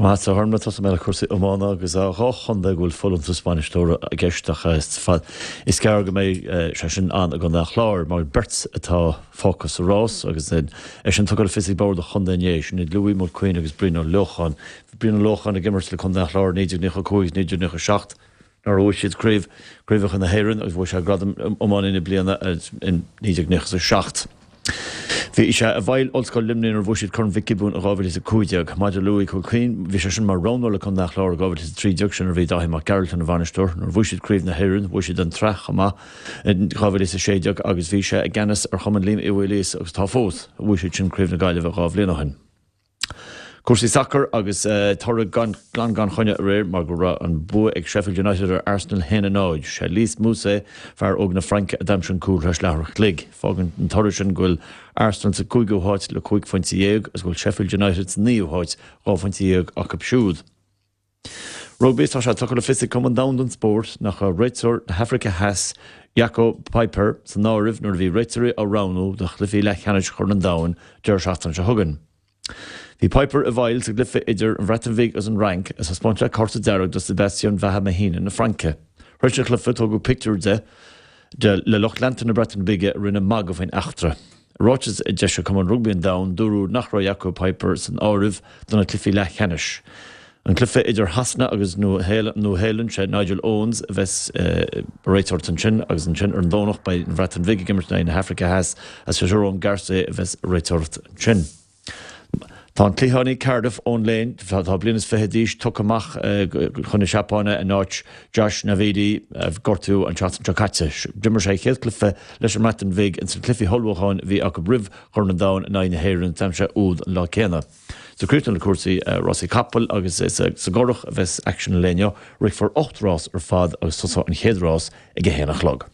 Maith a Thorna, tosóidh mé le cúrsaí iomána agus dá chontae go bhfuil folúntas bainisteora i gceist ach is gearr go mbeidh sé sin ann i gContae an Chláir mar beirt atá fágtha sa rás agus é sin tugtha le fios ag bord an chontae inné, sin iad Louis Mulqueen agus Brian Ó Lócháin. Bhí Brian Ó Lócháin ag imirt le Contae an Chláir i 1995 agus 1997 nuair a bhuaigh siad craobh craobhacha na hÉireann agus bhuaigh sé gradam Iománaí na Bliana in 1997. Bhí sé i bhfeighil Ollscoil Luimnigh nuair a bhuaigh siad Corn Mhic Giobúin in 2015. Maidir le Louis Mulqueen, bhí sé sin mar roghnóir le Contae an Chláir in 2013, sin nuair a bhí Dáithí Mac Gearailt ina bhainisteoir. Nuair a bhuaigh siad Craobh na hÉireann, bhuaigh siad an tsraith chomh maith in 2016 agus bhí sé i gceannas ar Chumann Liam Uí Mhaoilíosa agus atá fós. Bhuaigh siad sin Craobh na Gaillimhe dhá bhliain ó shin. Cúrsaí sacair agus toradh glan gan choinne aréir mar go raibh an bua ag Sheffield United ar Arsenal 1-0. Sé Lys Mousset, fear óg na Fraince, a d'aimsigh an cúl tar éis leathuair a chloig. Fágann an toradh sin go bhfuil Arsenal sa gcúigiú háit le 15 phointe agus go bhfuil Sheffield United sa naoú háit, 12 phointe acu siúd. Rugbaí, Tá sé tugtha le fios ag Cumann Domhanda an Spóirt nach raibh réiteoir na hAfraice Theas, Jaco Peyper, san áireamh nuair a bhí réiteoirí á roghnú do chluichí leathcheannais Chorn an Domhain deireadh seachtaine seo chugainn. Bhí Peyper i bhfeighil sa gcluiche idir an Bhreatain Bhig agus an Fhrainc agus thaispeáin sé cárta dearg do Sebastien Vahaamahina na Fraince. Tar éis an chluiche tógadh pictiúr de de le lucht leanta na Breataine Bige a rinne magadh faoin eachtra. I ráiteas a d'eisigh Cumann Rugbaí an Domhain, dúradh nach raibh Jaco Peyper san áireamh do na cluichí leathcheannais. An cluiche idir Shasana agus Nua-Shéalainn, sé Nigel Owens a bheas ag réiteoireacht ansin agus ansin ar an Domhnach beidh an Bhreatain Bhig ag imirt in aghaidh na hAfraice Theas agus sé Jerome Garcé a bheas ag réiteoireacht ansin. Tá an cliathánaí Cardiff, Owen Lane, atá bliain is fiche d'aois, tugtha amach chun na Seapáine in áit Josh Navidi, a gortaíodh an tseachtain seo caite. D'imir sé a chéad chluiche leis an mBreatain Bhig ins na cluichí ullmhúcháin a bhí acu roimh Chorn an Domhain in aghaidh na hÉireann. D'aimsigh sé úd an lá céanna. So críochnú le cúrsaí rásaí capall agus is sa gCurrach a bheas aicsean an lae inniu. Rithfear 8 rás ar fad agus tosóidh an chéad rás ag a haon a chlog.